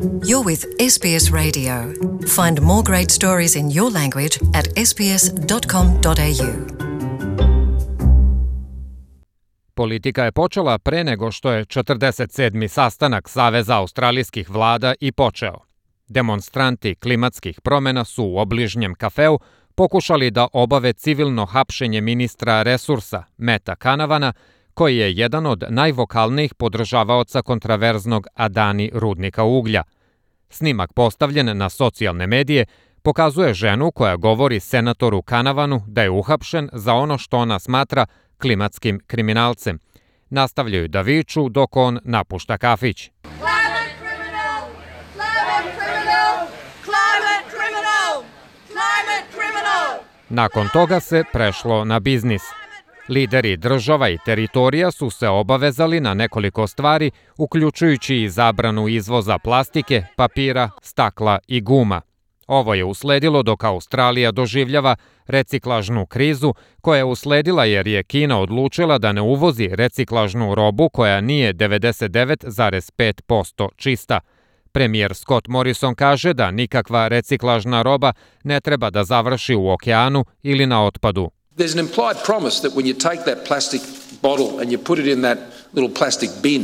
You're with SBS Radio. Find more great stories in your language at sbs.com.au. Politika je počela pre nego što je 47. sastanak Saveza australijskih vlada i počeo. Demonstranti klimatskih promjena su u obližnjem kafeu pokušali da obave civilno hapšenje ministra resursa Meta Canavana, koji je jedan od najvokalnijih podržavaoca kontraverznog Adani rudnika uglja. Snimak postavljen na socijalne medije pokazuje ženu koja govori senatoru Canavanu da je uhapšen za ono što ona smatra klimatskim kriminalcem. Nastavljaju da viču dok on napušta kafić. Climate criminal! Climate criminal! Climate criminal! Climate criminal! Nakon toga se prešlo na biznis. Lideri država i teritorija su se obavezali na nekoliko stvari, uključujući i zabranu izvoza plastike, papira, stakla i guma. Ovo je usledilo dok Australija doživljava reciklažnu krizu, koja je usledila jer je Kina odlučila da ne uvozi reciklažnu robu koja nije 99,5% čista. Premijer Scott Morrison kaže da nikakva reciklažna roba ne treba da završi u okeanu ili na otpadu. There's an implied promise that when you take that plastic bottle and you put it in that little plastic bin,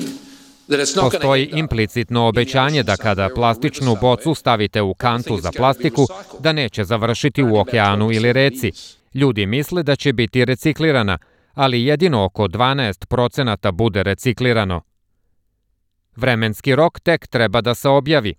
that it's not going to... Postoji implicitno obećanje da kada plastičnu bocu stavite u kantu za plastiku, da neće završiti u okeanu ili reci. Ljudi misle da će biti reciklirana, ali jedino oko 12% bude reciklirano. Vremenski rok tek treba da se objavi,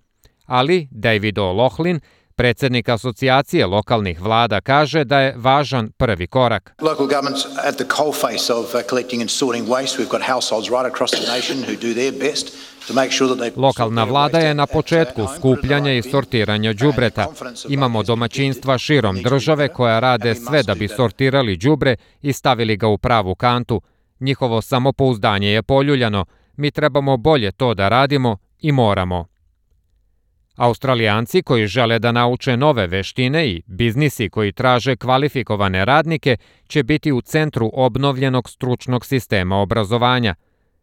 ali David O'Loughlin, predsjednik asocijacije lokalnih vlada, kaže da je važan prvi korak. Local governments at the coalface of collecting and sorting waste. We've got households right across the nation who do their best to make sure that they... Lokalna vlada je na početku skupljanja i sortiranja đubreta. Imamo domaćinstva širom države koja rade sve da bi sortirali đubre i stavili ga u pravu kantu. Njihovo samopouzdanje je poljuljano. Mi trebamo bolje to da radimo i moramo. Australijanci koji žele da nauče nove veštine i biznisi koji traže kvalifikovane radnike će biti u centru obnovljenog stručnog sistema obrazovanja.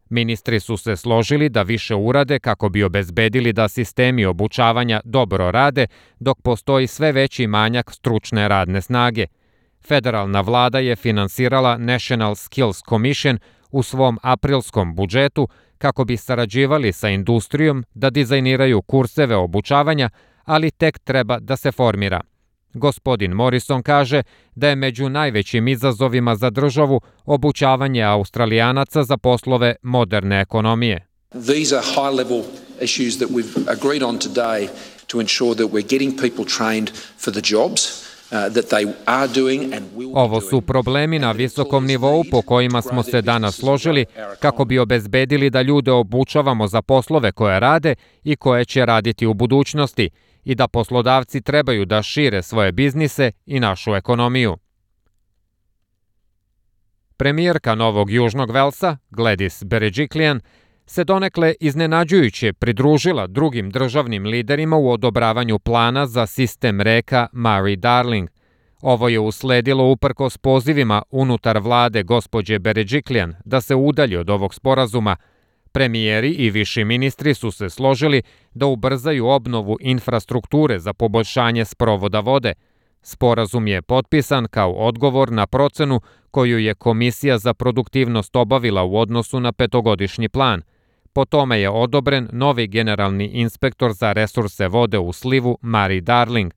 Ministri su se složili da više urade kako bi obezbedili da sistemi obučavanja dobro rade, dok postoji sve veći manjak stručne radne snage. Federalna vlada je finansirala National Skills Commission u svom aprilskom budžetu kako bi sarađivali sa industrijom da dizajniraju kurseve obučavanja, ali tek treba da se formira. Gospodin Morrison kaže da je među najvećim izazovima za državu obučavanje Australijanaca za poslove moderne ekonomije. These are high-level issues that we've agreed on today to ensure that we're getting people trained for the jobs. Ovo su problemi na visokom nivou po kojima smo se danas složili kako bi obezbedili da ljude obučavamo za poslove koje rade i koje će raditi u budućnosti i da poslodavci trebaju da šire svoje biznise i našu ekonomiju. Premijerka Novog Južnog Velsa, Gladys Berejiklian, se donekle iznenađujuće pridružila drugim državnim liderima u odobravanju plana za sistem reka Murray-Darling. Ovo je usledilo uprkos pozivima unutar vlade gospođe Berejiklian da se udalji od ovog sporazuma. Premijeri i viši ministri su se složili da ubrzaju obnovu infrastrukture za poboljšanje sprovoda vode. Sporazum je potpisan kao odgovor na procenu koju je Komisija za produktivnost obavila u odnosu na petogodišnji plan. Po tome je odobren novi generalni inspektor za resurse vode u slivu Murray-Darling.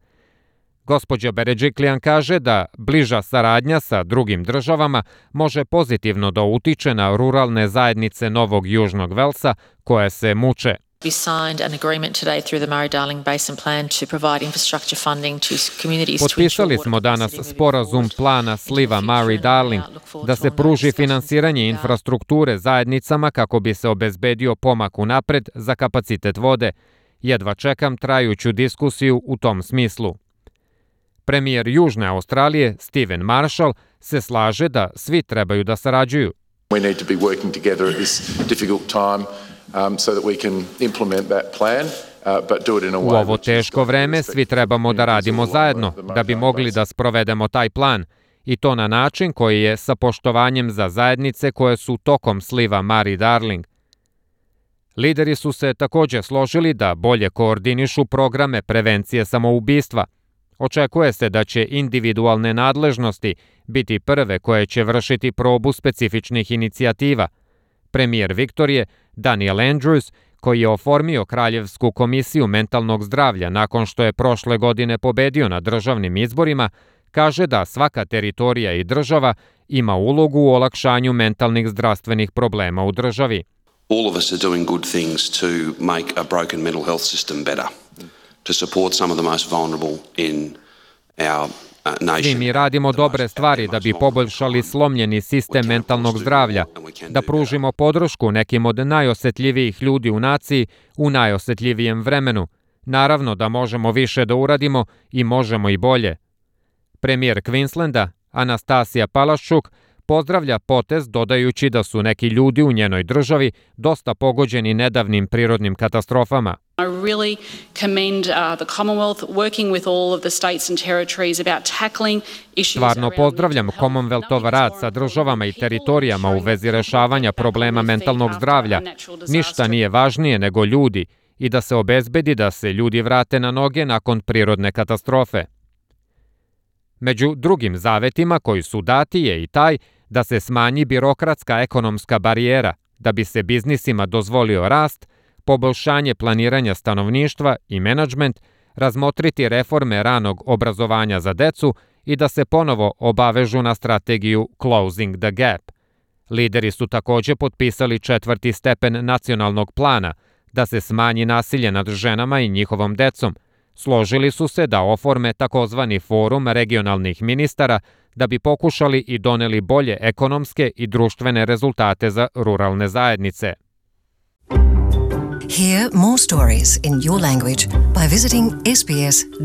Gospođa Berejiklian kaže da bliža saradnja sa drugim državama može pozitivno da utiče na ruralne zajednice Novog Južnog Velsa koje se muče. We signed an agreement today through the Murray-Darling Basin Plan to provide infrastructure funding to communities. Potpisali smo danas sporazum plana sliva Murray-Darling da se pruži finansiranje infrastrukture zajednicama kako bi se obezbedio pomak unapred za kapacitet vode. Jedva čekam trajuću diskusiju u tom smislu. Premijer Južne Australije, Stephen Marshall, se slaže da svi trebaju da sarađuju. We need to be working together at this difficult time so that we can implement that plan. U ovo teško vreme svi trebamo da radimo zajedno da bi mogli da sprovedemo taj plan i to na način koji je sa poštovanjem za zajednice koje su tokom sliva Murray-Darling. Lideri su se također složili da bolje koordinišu programe prevencije samoubistva. Očekuje se da će individualne nadležnosti biti prve koje će vršiti probu specifičnih inicijativa. Premijer Viktorije, Daniel Andrews, koji je oformio Kraljevsku komisiju mentalnog zdravlja nakon što je prošle godine pobedio na državnim izborima, kaže da svaka teritorija i država ima ulogu u olakšanju mentalnih zdravstvenih problema u državi. All of us are doing good things to make a broken mental health system better, to support some of the most vulnerable in our nation. Svi mi radimo dobre stvari da bi poboljšali slomljeni sistem mentalnog zdravlja, da pružimo podršku nekim od najosetljivijih ljudi u naciji u najosetljivijem vremenu. Naravno da možemo više da uradimo i možemo i bolje. Premijer Queenslanda, Anastasija Palaszczuk, pozdravlja potez dodajući da su neki ljudi u njenoj državi dosta pogođeni nedavnim prirodnim katastrofama. I really commend the Commonwealth working with all of the states and territories about tackling issues. Stvarno pozdravljam Commonwealthov rad sa državama i teritorijama u vezi rešavanja problema mentalnog zdravlja. Ništa nije važnije nego ljudi i da se obezbedi da se ljudi vrate na noge nakon prirodne katastrofe. Među drugim zavetima koji su dati je i taj da se smanji birokratska ekonomska barijera, da bi se biznisima dozvolio rast, poboljšanje planiranja stanovništva i menadžment, razmotriti reforme ranog obrazovanja za decu i da se ponovo obavežu na strategiju Closing the Gap. Lideri su također potpisali 4. stepen nacionalnog plana da se smanji nasilje nad ženama i njihovom decom. Složili su se da oforme takozvani forum regionalnih ministara da bi pokušali i doneli bolje ekonomske i društvene rezultate za ruralne zajednice. Hear more stories in your language by visiting sbs.com.au.